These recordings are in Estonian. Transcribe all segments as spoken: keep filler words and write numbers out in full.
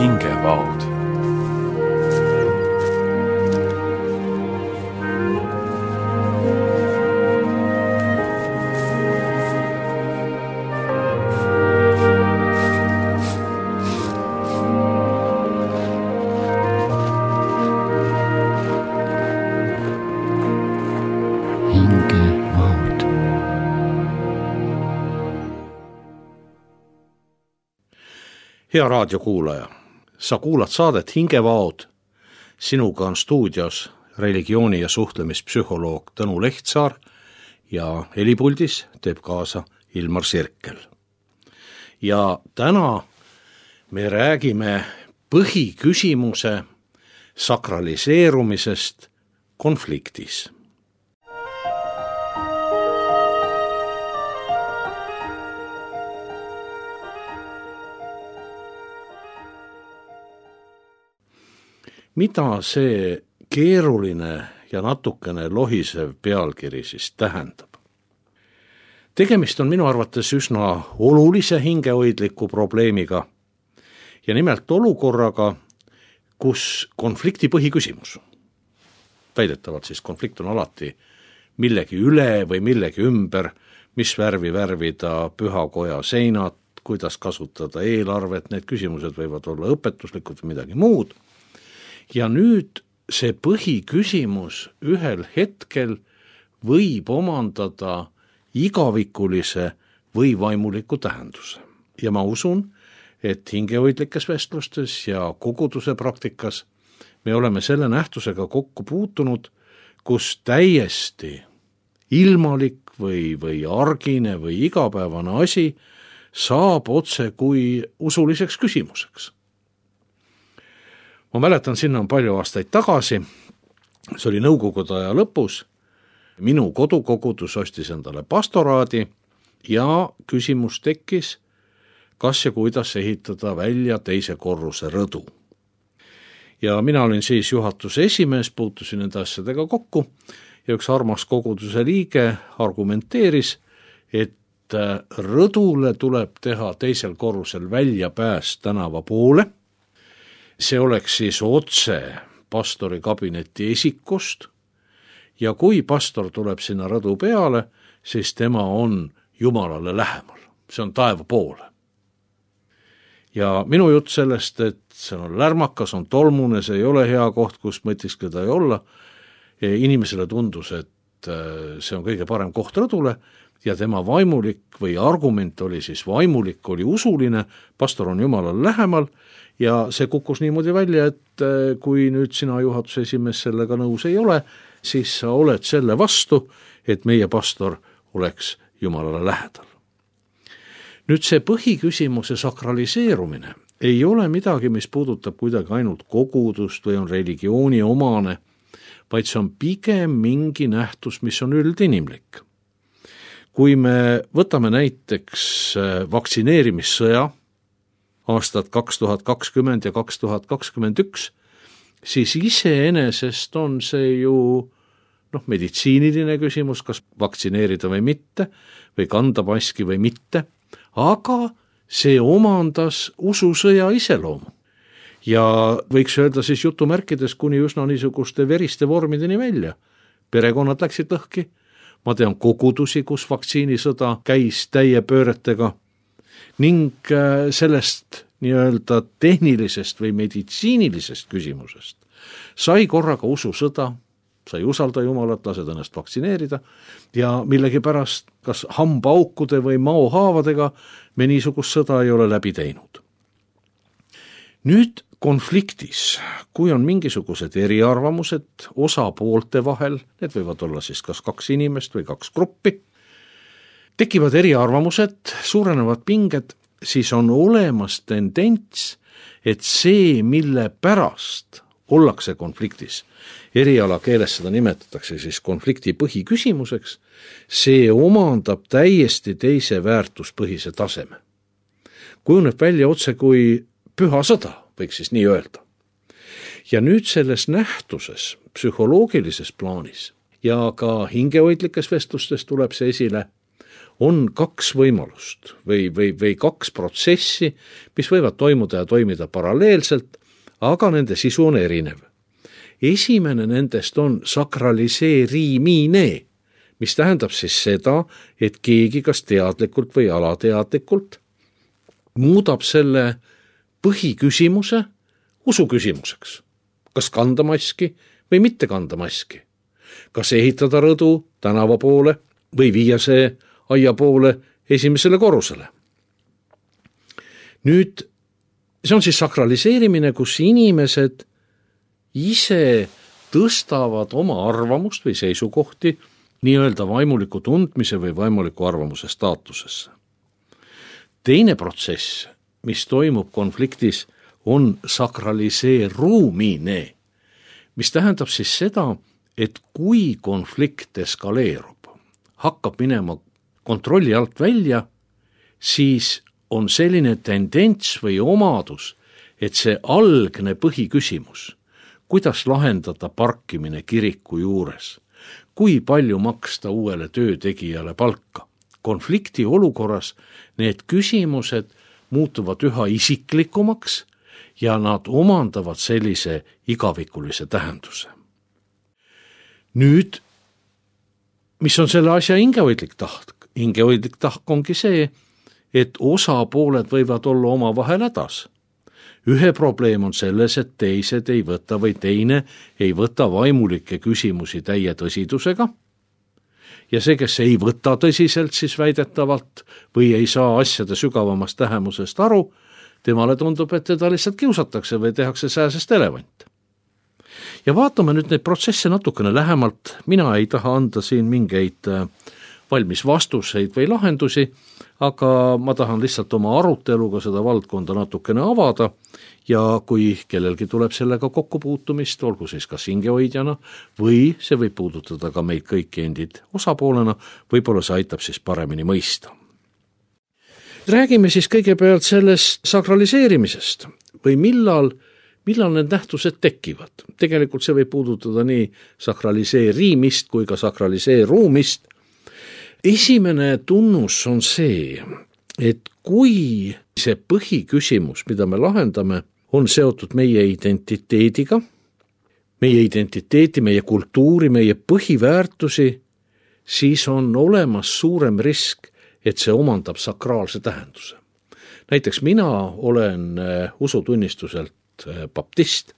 hingevaod. Hea raadiokuulaja, sa kuulad saadet Hingevaod. Sinuga on stuudios religiooni- ja suhtlemispsühholoog Tõnu Lehtsaar ja helipuldis teeb kaasa Ilmar Sirkel. Ja täna me räägime põhiküsimuse sakraliseerumisest konfliktis. Mida see keeruline ja natukene lohisev pealkiri siis tähendab? Tegemist on minu arvates üsna olulise hingehoidliku probleemiga ja nimelt olukorraga, kus konflikti põhiküsimus, väidetavalt siis konflikt on alati millegi üle või millegi ümber, mis värvi värvida pühakoja seinad, kuidas kasutada eelarvet, need küsimused võivad olla õpetuslikud või midagi muud. Ja nüüd see põhiküsimus ühel hetkel võib omandada igavikulise või vaimuliku tähenduse. Ja ma usun, et hingehoidlikes vestlustes ja koguduse praktikas me oleme selle nähtusega kokku puutunud, kus täiesti ilmalik või, või argine või igapäevane asi saab otse kui usuliseks küsimuseks. Ma mäletan, sinna on palju aastaid tagasi, see oli nõukogude aja lõpus, minu kodukogudus ostis endale pastoraadi ja küsimus tekkis, kas ja kuidas ehitada välja teise korruse rõdu. Ja mina olin siis juhatuse esimees, puutusin nende asjadega kokku ja üks armas koguduse liige argumenteeris, et rõdule tuleb teha teisel korrusel väljapääs tänava poole. See oleks siis otse pastori kabineti esikust ja kui pastor tuleb sinna rõdu peale, siis tema on Jumalale lähemal. See on taeva poole. Ja minu jutt sellest, et see on lärmakas, on tolmune, see ei ole hea koht, kus mõtiskleda ei olla. Inimesele tundus, et see on kõige parem koht rõdule ja tema vaimulik või argument oli siis vaimulik, oli usuline, pastor on Jumalale lähemal. Ja see kukkus niimoodi välja, et kui nüüd sina juhatuse esimees sellega nõus ei ole, siis sa oled selle vastu, et meie pastor oleks Jumalale lähedal. Nüüd see põhiküsimuse sakraliseerumine ei ole midagi, mis puudutab kuidagi ainult kogudust või on religiooni omane, vaid see on pigem mingi nähtus, mis on üldinimlik. Kui me võtame näiteks vaktsineerimissõja, aastad kaks tuhat kakskümmend ja kaks tuhat kakskümmend üks, siis iseenesest on see ju noh, meditsiiniline küsimus, kas vaktsineerida või mitte, või kanda maski või mitte, aga see omandas ususõja iseloomu. Ja võiks öelda siis jutumärkides kuni üsna niisuguste veriste vormideni välja. Perekonnad läksid lõhki, ma tean kogudusi, kus vaktsiinisõda käis täie pööretega, ning sellest nii-öelda tehnilisest või meditsiinilisest küsimusest sai korraga ususõda, sai usalda Jumalat, lased ennast vaktsineerida ja millegi pärast kas hambaaukude või maohaavadega me niisugust sõda ei ole läbi teinud. Nüüd konfliktis, kui on mingisugused eriarvamused osapoolte vahel, need võivad olla siis kas kaks inimest või kaks gruppi, tekivad eriarvamused, suurenevad pinged, siis on olemas tendents, et see, mille pärast ollakse konfliktis, eriala keeles seda nimetatakse siis konflikti põhiküsimuseks, see omandab täiesti teise väärtuspõhise taseme. Kujuneb välja otse kui püha sõda, võiks siis nii öelda. Ja nüüd selles nähtuses, psühholoogilises plaanis ja ka hingehoidlikes vestlustes tuleb see esile, on kaks võimalust või, või, või kaks protsessi, mis võivad toimuda ja toimida paralleelselt, aga nende sisu on erinev. Esimene nendest on sakraliseerimine, mis tähendab siis seda, et keegi kas teadlikult või alateadlikult muudab selle põhiküsimuse usuküsimuseks. Kas kanda maski või mitte kanda maski? Kas ehitada rõdu tänava poole või viia see aia poole esimesele korrusele? Nüüd, see on siis sakraliseerimine, kus inimesed ise tõstavad oma arvamust või seisukohti nii-öelda vaimuliku tundmise või vaimuliku arvamuse staatusesse. Teine protsess, mis toimub konfliktis, on sakraliseerumine, mis tähendab siis seda, et kui konflikt eskaleerub, hakkab minema kontrolli alt välja, siis on selline tendents või omadus, et see algne põhiküsimus, kuidas lahendada parkimine kiriku juures, kui palju maksta uuele töötegijale palka. Konflikti olukorras need küsimused muutuvad üha isiklikumaks ja nad omandavad sellise igavikulise tähenduse. Nüüd, mis on selle asja hingehoidlik tahk? Hingehoidlik tahk ongi see, et osapooled võivad olla omavahel hädas. Ühe probleem on selles, et teised ei võta või teine ei võta vaimulikke küsimusi täie tõsidusega. Ja see, kes ei võta tõsiselt siis väidetavalt või ei saa asjade sügavamast tähemusest aru, temale tundub, et teda lihtsalt kiusatakse või tehakse sääsest elevant. Ja vaatame nüüd neid protsesse natukene lähemalt. Mina ei taha anda siin mingeid valmis vastuseid või lahendusi, aga ma tahan lihtsalt oma aruteluga seda valdkonda natukene avada ja kui kellelgi tuleb sellega kokkupuutumist, olgu siis kas hingehoidjana või see võib puudutada ka meid kõiki endid osapoolena, võib-olla see aitab siis paremini mõista. Räägime siis kõigepealt sellest sakraliseerimisest või millal, millal need nähtused tekivad. Tegelikult see võib puudutada nii sakraliseerimist kui ka sakraliseerumist. Esimene tunnus on see, et kui see põhiküsimus, mida me lahendame, on seotud meie identiteediga, meie identiteeti, meie kultuuri, meie põhiväärtusi, siis on olemas suurem risk, et see omandab sakraalse tähenduse. Näiteks mina olen usutunnistuselt baptist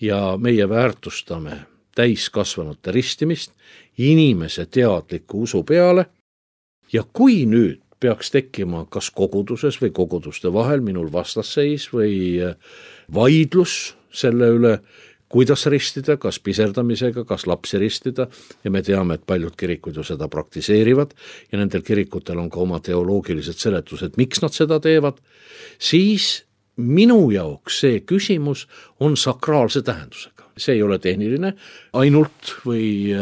ja meie väärtustame täiskasvanute ristimist inimese teadliku usu peale ja kui nüüd peaks tekkima kas koguduses või koguduste vahel minul vastasseis või vaidlus selle üle, kuidas ristida, kas piserdamisega, kas lapsi ristida ja me teame, et paljud kirikud ju seda praktiseerivad ja nendel kirikutel on ka oma teoloogilised seletused, miks nad seda teevad, siis minu jaoks see küsimus on sakraalse tähendusega. See ei ole tehniline ainult või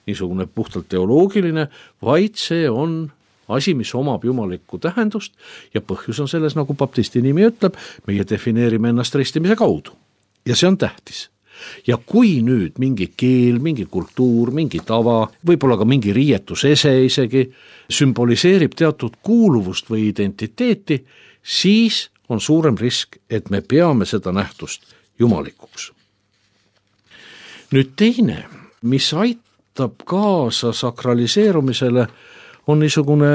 niisugune puhtalt teoloogiline, vaid see on asi, mis omab jumalikku tähendust ja põhjus on selles, nagu baptisti nimi ütleb, meie defineerime ennast ristimise kaudu. Ja see on tähtis. Ja kui nüüd mingi keel, mingi kultuur, mingi tava, võib-olla ka mingi riietusese isegi sümboliseerib teatud kuuluvust või identiteeti, siis on suurem risk, et me peame seda nähtust jumalikuks. Nüüd teine, mis aitab kaasa sakraliseerumisele, on niisugune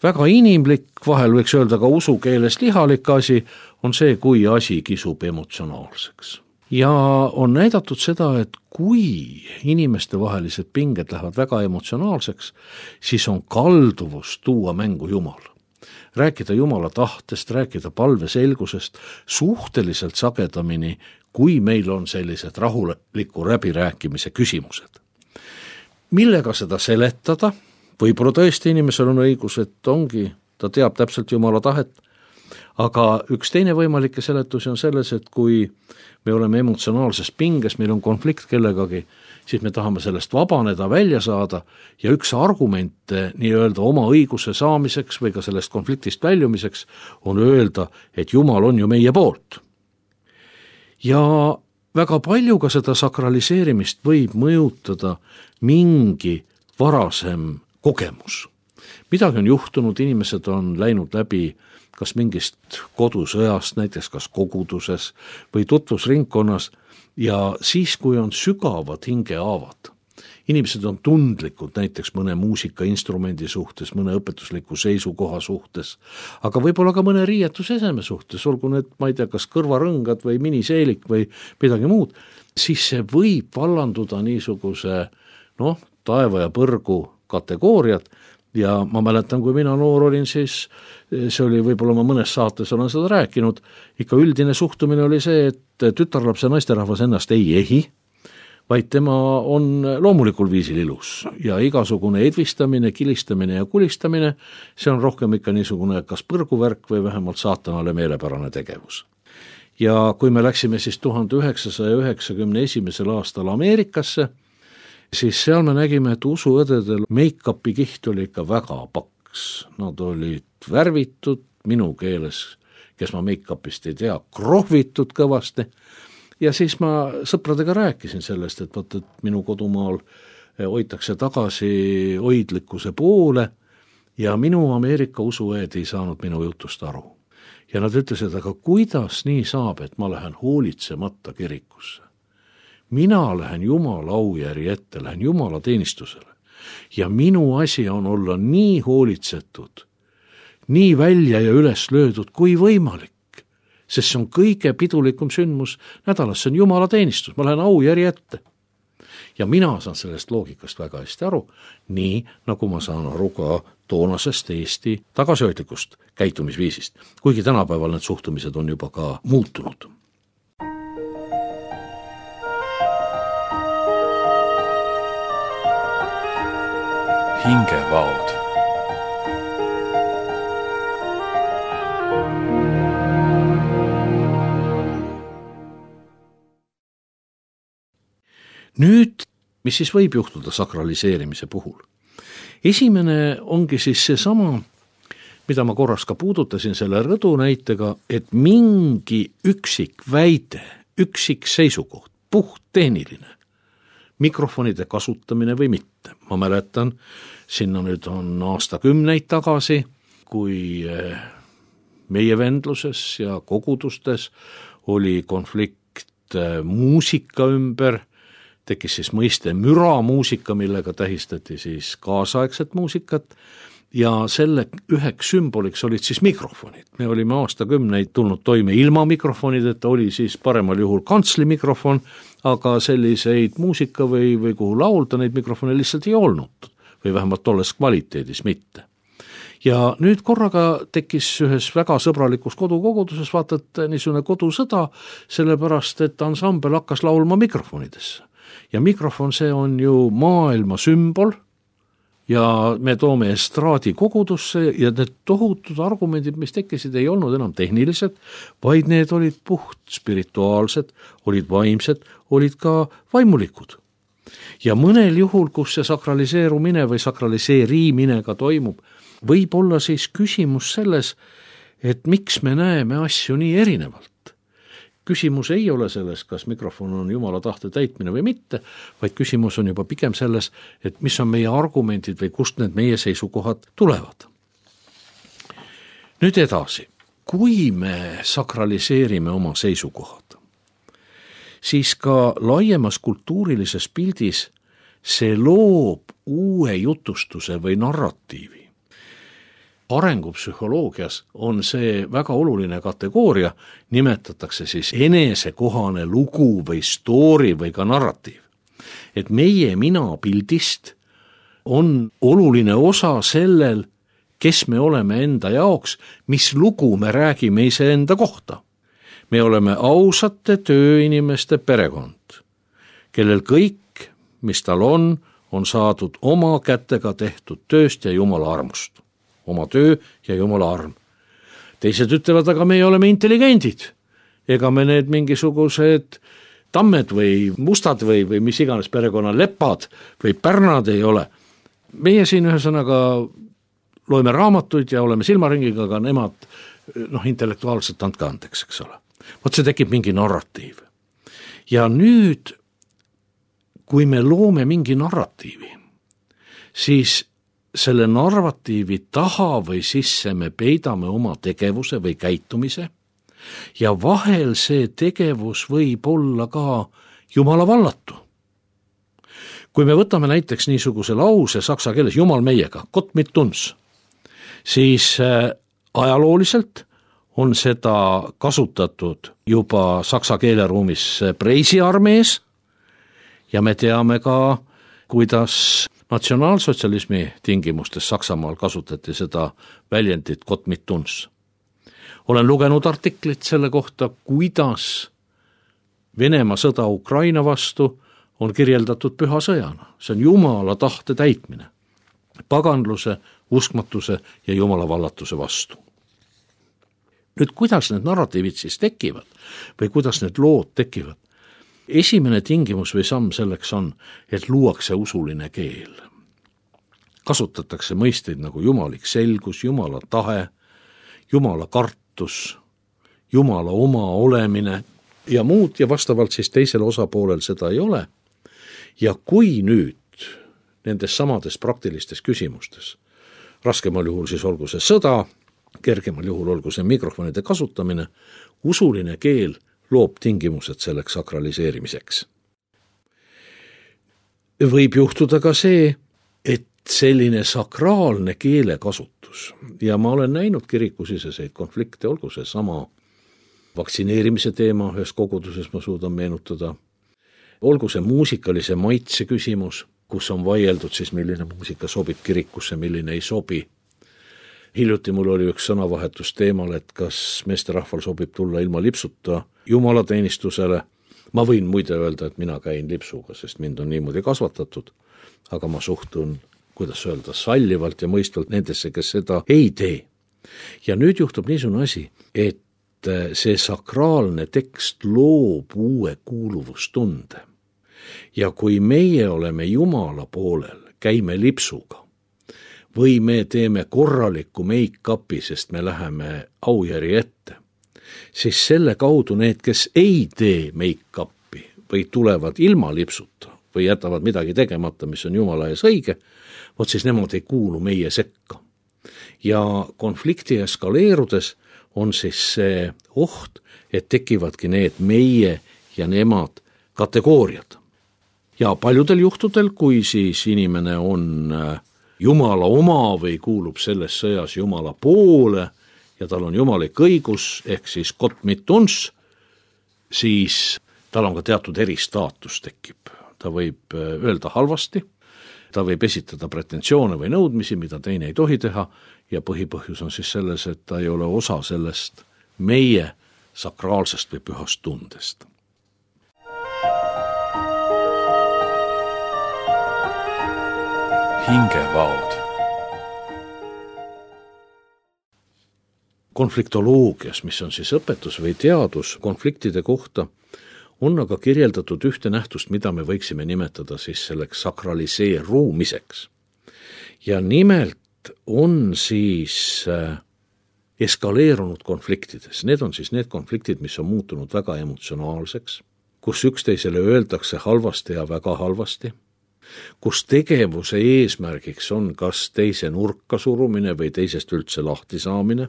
väga inimlik, vahel võiks öelda ka usukeeles lihalik asi, on see, kui asi kisub emotsionaalseks. Ja on näidatud seda, et kui inimeste vahelised pinged lähevad väga emotsionaalseks, siis on kalduvus tuua mängu Jumal. Rääkida Jumala tahtest, rääkida palveselgusest suhteliselt sagedamini, kui meil on sellised rahuliku läbirääkimise küsimused. Millega seda seletada? Võib-olla tõesti inimesel on õigus, et ongi, ta teab täpselt Jumala tahet, aga üks teine võimalikke seletusi on selles, et kui me oleme emotsionaalses pinges, meil on konflikt kellegagi, siis me tahame sellest vabaneda, välja saada ja üks argument nii-öelda oma õiguse saamiseks või ka sellest konfliktist väljumiseks on öelda, et Jumal on ju meie poolt. Ja väga palju ka seda sakraliseerimist võib mõjutada mingi varasem kogemus. midagi on juhtunud, inimesed on läinud läbi kas mingist kodusõjast, näiteks kas koguduses või tutvusringkonnas ja siis, kui on sügavad hingehaavad, inimesed on tundlikud näiteks mõne muusikainstrumendi suhtes, mõne õpetusliku seisukoha suhtes, aga võib-olla ka mõne riietuseseme suhtes, olgu need, ma ei tea, kas kõrvarõngad või miniseelik või midagi muud, siis see võib vallanduda niisuguse noh, taeva ja põrgu kategooriad ja ma mäletan, kui mina noor olin, siis see oli võib-olla ma mõnes saates olen seda rääkinud, ikka üldine suhtumine oli see, et tütarlaps ja naisterahvas ennast ei ehi, vaid tema on loomulikul viisil ilus ja igasugune edvistamine, kilistamine ja kulistamine, see on rohkem ikka niisugune kas põrguvärk või vähemalt saatanale meelepärane tegevus. Ja kui me läksime siis tuhande üheksasaja üheksakümne esimesel aastal Ameerikasse, siis seal me nägime, et usuõdedel make-upi kiht oli ikka väga paks. Nad olid värvitud, minu keeles, kes ma make-upist ei tea, krohvitud kõvasti. Ja siis ma sõpradega rääkisin sellest, et, võt, et minu kodumaal hoitakse tagasi hoidlikkuse poole ja minu Ameerika usuõed ei saanud minu jutust aru. Ja nad ütlesid, aga kuidas nii saab, et ma lähen hoolitsemata kirikusse? Mina lähen Jumala aujärje ette, lähen Jumala teenistusele ja minu asi on olla nii hoolitsetud, nii välja ja üles löödud kui võimalik, sest see on kõige pidulikum sündmus nädalas, see on Jumala teenistus, ma lähen aujärje ette. Ja mina saan sellest loogikast väga hästi aru, nii nagu ma saan aru ka toonasest Eesti tagasihoidlikust käitumisviisist, kuigi tänapäeval need suhtumised on juba ka muutunud. Hingevaod. Nüüd, mis siis võib juhtuda sakraliseerimise puhul? Esimene ongi siis see sama, mida ma korras ka puudutasin selle rõdu näitega, et mingi üksik väide, üksik seisukoht, puht tehniline, mikrofonide kasutamine või mitte. Ma mäletan, sinna nüüd on aastakümneid tagasi, kui meie vendluses ja kogudustes oli konflikt muusika ümber, tekkis siis mõiste müramuusika, millega tähistati siis kaasaegset muusikat ja selle üheks sümboliks olid siis mikrofonid. Me olime aastakümneid tulnud toime ilma mikrofonideta, oli siis paremal juhul kantsli-mikrofon, aga selliseid muusika või, või kuhu laulda neid mikrofone lihtsalt ei olnud või vähemalt tolles kvaliteedis mitte. Ja nüüd korraga tekkis ühes väga sõbralikus kodukoguduses, vaatad niisugune kodusõda, sellepärast et ansambel hakkas laulma mikrofonidesse. Ja mikrofon, see on ju maailma sümbol ja me toome estraadi kogudusse ja need tohutud argumendid, mis tekkisid, ei olnud enam tehnilised, vaid need olid puht spirituaalsed, olid vaimsed, olid ka vaimulikud. Ja mõnel juhul, kus see sakraliseerumine või sakraliseerimine ka toimub, võib olla siis küsimus selles, et miks me näeme asju nii erinevalt. Küsimus ei ole selles, kas mikrofon on Jumala tahte täitmine või mitte, vaid küsimus on juba pigem selles, et mis on meie argumendid või kust need meie seisukohad tulevad. Nüüd edasi, kui me sakraliseerime oma seisukohad, siis ka laiemas kultuurilises pildis see loob uue jutustuse või narratiivi. Arengupsühholoogias on see väga oluline kategooria, nimetatakse siis enesekohane lugu või story või ka narratiiv. Et meie mina pildist on oluline osa sellel, kes me oleme enda jaoks, mis lugu me räägime iseenda kohta. Me oleme ausate tööinimeste perekond, kellel kõik, mis tal on, on saadud oma kätega tehtud tööst ja Jumala armust. Oma töö ja Jumala arm. Teised ütlevad, aga me oleme intelligendid. Ega me need mingisugused tammed või mustad või, või mis iganes perekonna lepad või pärnad ei ole. Meie siin ühesõnaga loeme raamatuid ja oleme silmaringiga, aga nemad noh, intellektuaalselt andke andeks, eks ole. Vot see tekib mingi narratiiv. Ja nüüd, kui me loome mingi narratiivi, siis selle narratiivi taha või sisse me peidame oma tegevuse või käitumise ja vahel see tegevus võib olla ka Jumala vallatu. Kui me võtame näiteks niisuguse lause saksa keeles Jumal meiega, Gott mit uns, siis ajalooliselt on seda kasutatud juba saksa keeleruumis preisiarmees ja me teame ka, kuidas natsionaalsotsialismi tingimustes Saksamaal kasutati seda väljendit Gott mit uns. Olen lugenud artiklit selle kohta, kuidas Venemaa sõda Ukraina vastu on kirjeldatud püha sõjana. See on Jumala tahte täitmine, paganluse, uskmatuse ja Jumala vallatuse vastu. Nüüd, kuidas need narratiivid siis tekivad või kuidas need lood tekivad? Esimene tingimus või samm selleks on, et luuakse usuline keel. Kasutatakse mõisteid nagu jumalik selgus, Jumala tahe, Jumala kartus, Jumala oma olemine ja muud ja vastavalt siis teisel osapoolel seda ei ole. Ja kui nüüd nendes samades praktilistes küsimustes, raskemal juhul siis olgu see sõda, kergemal juhul olgu see mikrofonide kasutamine, usuline keel loob tingimused selleks sakraliseerimiseks. Võib juhtuda ka see, et selline sakraalne keelekasutus, ja ma olen näinud kirikusiseseid konflikte, olgu see sama vaktsineerimise teema, ühes koguduses ma suudan meenutada, olgu see muusikalise maitse küsimus, kus on vaieldud siis, milline muusika sobib kirikusse, milline ei sobi. Hiljuti mul oli üks sõnavahetus teemal, et kas meesterahval sobib tulla ilma lipsuta jumalateenistusele. Ma võin muide öelda, et mina käin lipsuga, sest mind on niimoodi kasvatatud, aga ma suhtun, kuidas öelda, sallivalt ja mõistvalt nendesse, kes seda ei tee. Ja nüüd juhtub niisugune asi, et see sakraalne tekst loob uue kuuluvustunde. Ja kui meie oleme Jumala poolel, käime lipsuga, või me teeme korralikku make-upi, sest me läheme aujärje ette, siis selle kaudu need, kes ei tee make-upi või tulevad ilma lipsuta või jätavad midagi tegemata, mis on Jumala ees õige, vot siis nemad ei kuulu meie sekka. Ja konflikti eskaleerudes on siis see oht, et tekivadki need meie ja nemad kategooriad. Ja paljudel juhtudel, kui siis inimene on Jumala oma või kuulub selles sõjas Jumala poole ja tal on jumalik õigus, ehk siis Gott mit uns, siis tal on ka teatud eristaatus tekib. Ta võib öelda halvasti, ta võib esitada pretensioone või nõudmisi, mida teine ei tohi teha, ja põhipõhjus on siis selles, et ta ei ole osa sellest meie sakraalsest või pühast tundest. Hingevaod. Konfliktoloogias, mis on siis õpetus või teadus konfliktide kohta, on aga kirjeldatud ühte nähtust, mida me võiksime nimetada siis selleks sakraliseerumiseks. Ja nimelt on siis eskaleerunud konfliktides. Need on siis need konfliktid, mis on muutunud väga emotsionaalseks, kus üksteisele öeldakse halvasti ja väga halvasti, kus tegevuse eesmärgiks on kas teise nurka surumine või teisest üldse lahti saamine,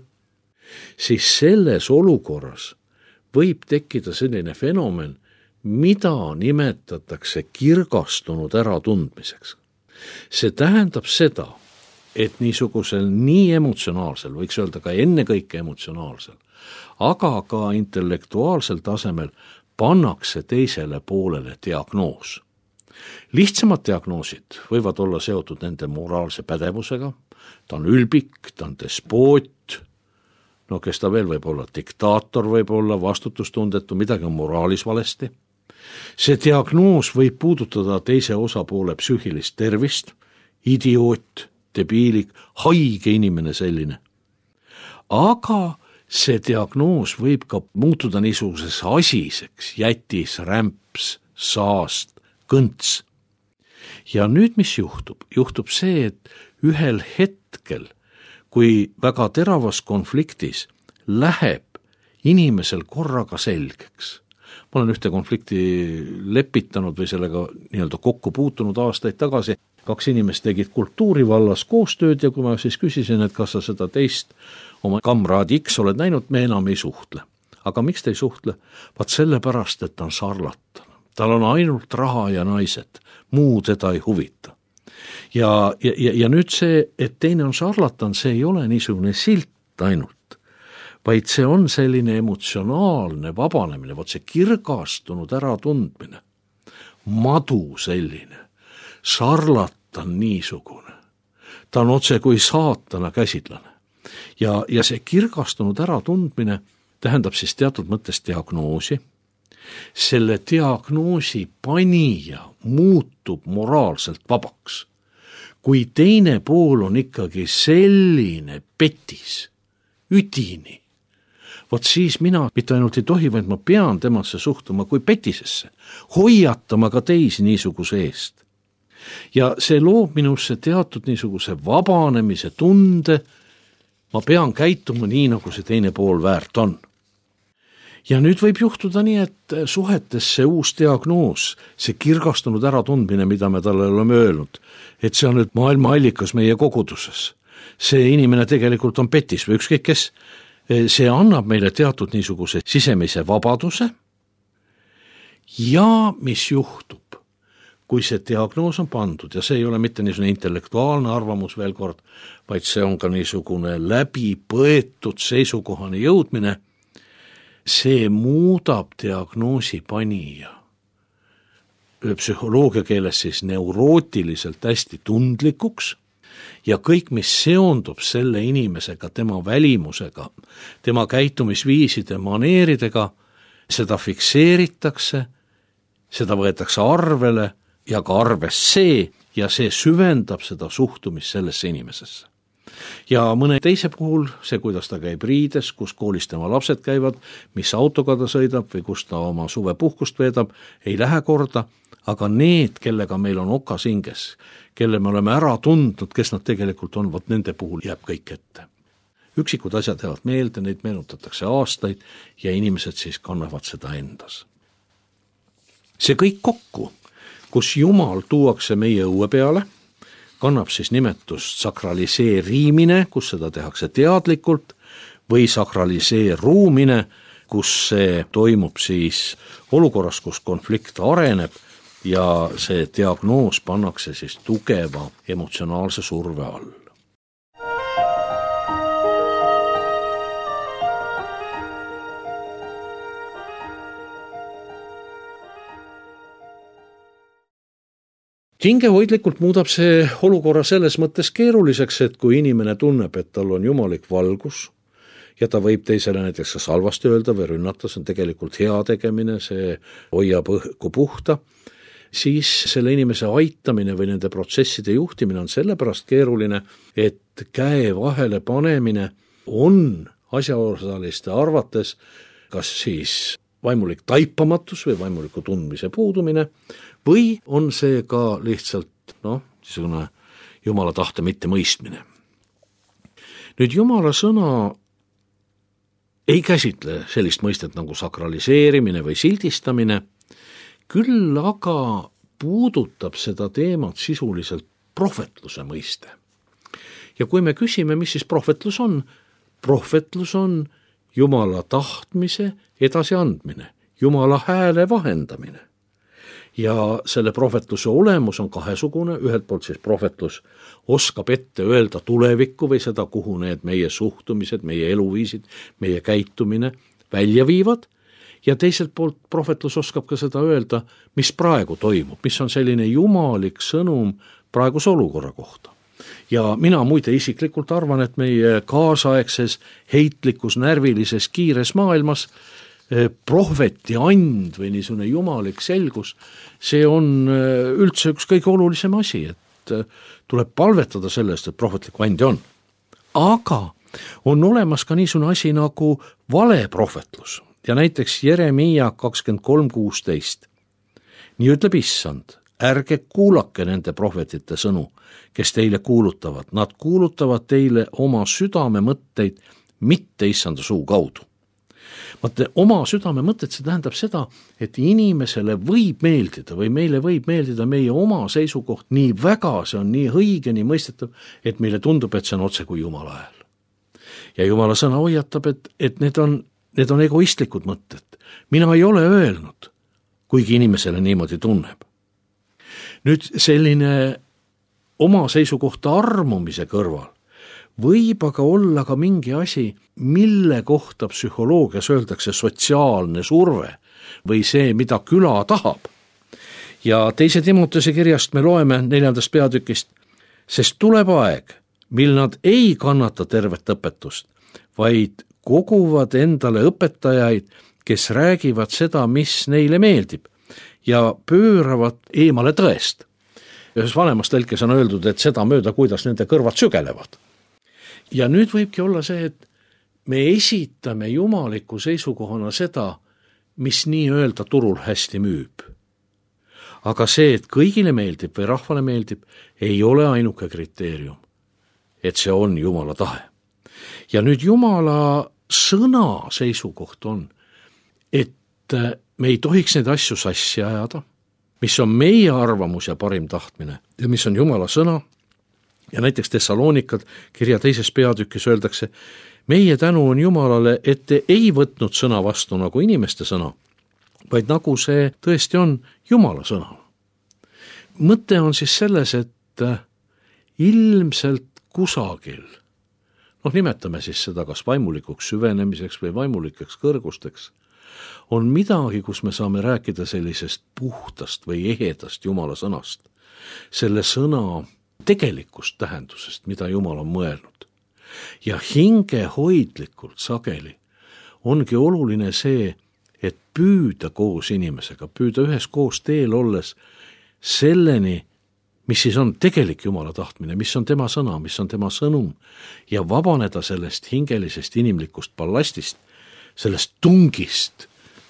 siis selles olukorras võib tekkida selline fenomen, mida nimetatakse kirgastunud äratundmiseks. See tähendab seda, et niisugusel nii emotsionaalsel, võiks öelda ka ennekõike emotsionaalsel, aga ka intellektuaalsel tasemel pannakse teisele poolele diagnoos. Lihtsamad diagnoosid võivad olla seotud nende moraalse pädevusega, ta on ülbik, ta on despoot, no kes ta veel võib olla, diktaator võib olla, vastutustundetu, midagi on moraalis valesti. See diagnoos võib puudutada teise osapoole psüühilist tervist, idioot, debiilik, haige inimene selline. Aga see diagnoos võib ka muutuda niisuguses asiseks, jätis, rämps, saast, kõnts. Ja nüüd mis juhtub? Juhtub see, et ühel hetkel, kui väga teravas konfliktis läheb inimesel korraga selgeks. Ma olen ühte konflikti lepitanud või sellega nii-öelda kokku puutunud aastaid tagasi. kaks inimest tegid kultuuri vallas koostööd ja kui ma siis küsisin, et kas sa seda teist oma kamraadi X oled näinud, me enam ei suhtle. Aga miks te ei suhtle? Vaat sellepärast, et ta on sarlatan. Tal on ainult raha ja naised, muu teda ei huvita. Ja, ja, ja nüüd see, et teine on sarlatan, see ei ole niisugune silt ainult, vaid see on selline emotsionaalne vabanemine, vot see kirgastunud äratundmine, madu selline, sarlatan niisugune, ta on otse kui saatana käsidlane. Ja, ja see kirgastunud äratundmine tähendab siis teatud mõttes diagnoosi. Selle diagnoosi panija muutub moraalselt vabaks. Kui teine pool on ikkagi selline petis, üdini, vot siis mina mitte ainult ei tohi, vaid ma pean temasse suhtuma kui petisesse, hoiatama ka teisi niisuguse eest. Ja see loob minusse teatud niisuguse vabanemise tunde, ma pean käituma nii, nagu see teine pool väärt on. Ja nüüd võib juhtuda nii, et suhetes see uus diagnoos, see kirgastunud äratundmine, mida me talle oleme öelnud, et see on nüüd maailma allikas meie koguduses. See inimene tegelikult on petis või ükskõik kes. See annab meile teatud niisuguse sisemise vabaduse. Ja mis juhtub, kui see diagnoos on pandud, ja see ei ole mitte niisugune intellektuaalne arvamus veel kord, vaid see on ka niisugune läbi põetud seisukohani jõudmine, see muudab diagnoosi panija psühholoogia keeles siis neurootiliselt hästi tundlikuks ja kõik, mis seondub selle inimesega, tema välimusega, tema käitumisviiside, maneeridega, seda fikseeritakse, seda võetakse arvele ja ka arves see ja see süvendab seda suhtumist sellesse inimesesse. Ja mõne teise puhul, see kuidas ta käib riides, kus koolis tema lapsed käivad, mis autoga ta sõidab või kus ta oma suvepuhkust veedab, ei lähe korda, aga need, kellega meil on okas hinges, kelle me oleme ära tundnud, kes nad tegelikult on, vot nende puhul jääb kõik ette. Üksikud asjad jäävad meelde, neid meenutatakse aastaid ja inimesed siis kannavad seda endas. See kõik kokku, kus Jumal tuuakse meie õue peale, kannab siis nimetust sakraliseerimine, kus seda tehakse teadlikult, või sakraliseerumine, kus see toimub siis olukorras, kus konflikt areneb ja see diagnoos pannakse siis tugeva emotsionaalse surve all. Hingehoidlikult muudab see olukorra selles mõttes keeruliseks, et kui inimene tunneb, et tal on jumalik valgus ja ta võib teisele näiteks kas halvasti öelda või rünnata, see on tegelikult hea tegemine, see hoiab õhku puhta, siis selle inimese aitamine või nende protsesside juhtimine on sellepärast keeruline, et käe vahele panemine on asjaosaliste arvates kas siis vaimulik taipamatus või vaimuliku tundmise puudumine või on see ka lihtsalt noh, niisugune Jumala tahte mitte mõistmine. Nüüd Jumala sõna ei käsitle sellist mõistet nagu sakraliseerimine või sildistamine, küll aga puudutab seda teemat sisuliselt prohvetluse mõiste. Ja kui me küsime, mis siis prohvetlus on, prohvetlus on Jumala tahtmise edasiandmine, Jumala hääle vahendamine. Ja selle prohvetluse olemus on kahesugune, ühelt poolt siis prohvetlus oskab ette öelda tulevikku või seda, kuhu need meie suhtumised, meie eluviisid, meie käitumine välja viivad, ja teiselt poolt prohvetlus oskab ka seda öelda, mis praegu toimub, mis on selline jumalik sõnum praeguse olukorra kohta. Ja mina muide isiklikult arvan, et meie kaasaegses, heitlikus, närvilises, kiires maailmas prohveti and või niisugune jumalik selgus, see on üldse üks kõige olulisem asi, et tuleb palvetada sellest, et prohvetlikku andi on. Aga on olemas ka niisugune asi nagu valeprohvetlus ja näiteks Jeremiia kakskümmend kolm kuusteist. Nii ütleb Issand, ärge kuulake nende prohvetite sõnu, kes teile kuulutavad. Nad kuulutavad teile oma südame mõtteid, mitte Issanda suu kaudu. Vaata, oma südame mõtted, see tähendab seda, et inimesele võib meeldida või meile võib meeldida meie oma seisukoht nii väga, see on nii õige, nii mõistetav, et meile tundub, et see on otse kui Jumala hääl. Ja Jumala sõna hoiatab, et, et need on, need on egoistlikud mõtted. Mina ei ole öelnud, kuigi inimesele niimoodi tunneb. Nüüd selline oma seisukohta armumise kõrval võib aga olla ka mingi asi, mille kohta psühholoogias öeldakse sotsiaalne surve või see, mida küla tahab. Ja teise Timotese kirjast me loeme neljandast peatükist, sest tuleb aeg, mil nad ei kannata tervet õpetust, vaid koguvad endale õpetajaid, kes räägivad seda, mis neile meeldib ja pööravad eemale tõest. Ühes vanemas tõlkes on öeldud, et seda mööda, kuidas nende kõrvad sügelevad. Ja nüüd võibki olla see, et me esitame jumaliku seisukohana seda, mis nii öelda turul hästi müüb. Aga see, et kõigile meeldib või rahvale meeldib, ei ole ainuke kriteerium, et see on Jumala tahe. Ja nüüd Jumala sõna seisukoht on, et me ei tohiks neid asju sassi ajada, mis on meie arvamus ja parim tahtmine ja mis on Jumala sõna. Ja näiteks Tessaloonikad kirja teises peatükis öeldakse, meie tänu on Jumalale, et te ei võtnud sõna vastu nagu inimeste sõna, vaid nagu see tõesti on Jumala sõna. Mõte on siis selles, et ilmselt kusagil, noh nimetame siis seda kas vaimulikuks süvenemiseks või vaimulikeks kõrgusteks, on midagi, kus me saame rääkida sellisest puhtast või ehedast Jumala sõnast, selle sõna tegelikust tähendusest, mida Jumal on mõelnud. Ja hingehoidlikult sageli ongi oluline see, et püüda koos inimesega, püüda ühes koos teel olles selleni, mis siis on tegelik Jumala tahtmine, mis on tema sõna, mis on tema sõnum ja vabaneda sellest hingelisest inimlikust ballastist, sellest tungist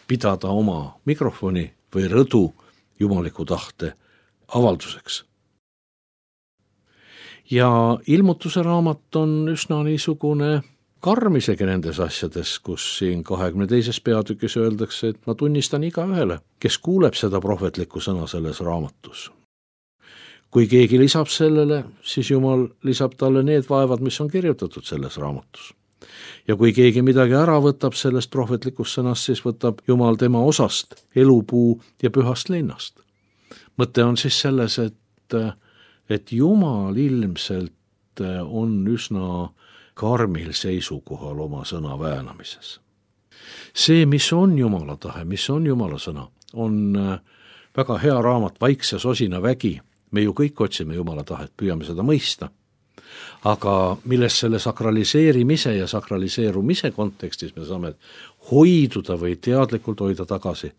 pidada oma mikrofoni või rõdu jumaliku tahte avalduseks. Ja ilmutuse raamat on üsna niisugune karm isegi nendes asjades, kus siin kahekümne teises peatükis öeldakse, et ma tunnistan iga ühele, kes kuuleb seda prohvetlikku sõna selles raamatus. Kui keegi lisab sellele, siis Jumal lisab talle need vaevad, mis on kirjutatud selles raamatus. Ja kui keegi midagi ära võtab sellest prohvetlikust sõnast, siis võtab Jumal tema osast, elupuu ja pühast linnast. Mõte on siis selles, et et Jumal ilmselt on üsna karmil seisukohal oma sõna väänamises. See, mis on Jumala tahe, mis on Jumala sõna, on väga hea raamat Vaikse sosina vägi. Me ju kõik otsime Jumala tahet, püüame seda mõista. Aga milles selle sakraliseerimise ja sakraliseerumise kontekstis me saame hoiduda või teadlikult hoida tagasi,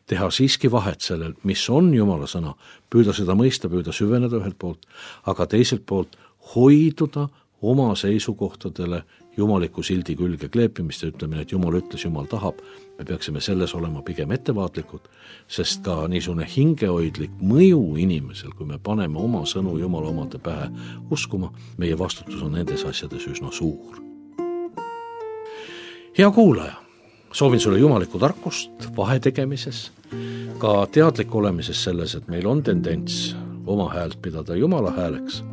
teha siiski vahet sellel, mis on Jumala sõna, püüda seda mõista, püüda süveneda ühelt poolt, aga teiselt poolt hoiduda oma seisukohtadele jumaliku sildi külge kleepimist ja ütlemine, et Jumal ütles, Jumal tahab, me peaksime selles olema pigem ettevaatlikud, sest ka niisugune hingehoidlik mõju inimesel, kui me paneme oma sõnu Jumala omade pähe uskuma, meie vastutus on nendes asjades üsna suur. Hea kuulaja, soovin sulle jumalikku tarkust vahetegemises, ka teadlik olemises selles, et meil on tendents oma häält pidada Jumala hääleks,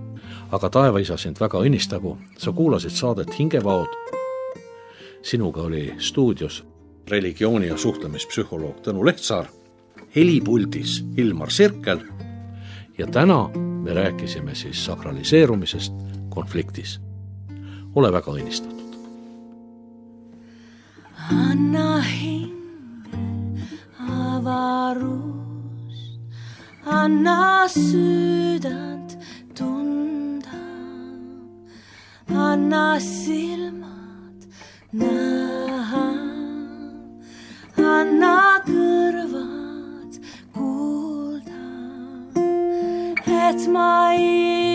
aga taevaisa sind väga õnnistagu, sa kuulasid saadet Hingevaod. Sinuga oli stuudios religiooni- ja suhtlemispsühholoog Tõnu Lehtsaar, helipuldis Ilmar Sirkel ja täna me rääkisime siis sakraliseerumisest konfliktis. Ole väga õnnistatud. Anna hinge avarust, anna sydant tunda, anna silmad näha, anna kõrvad kuulda, et ma ei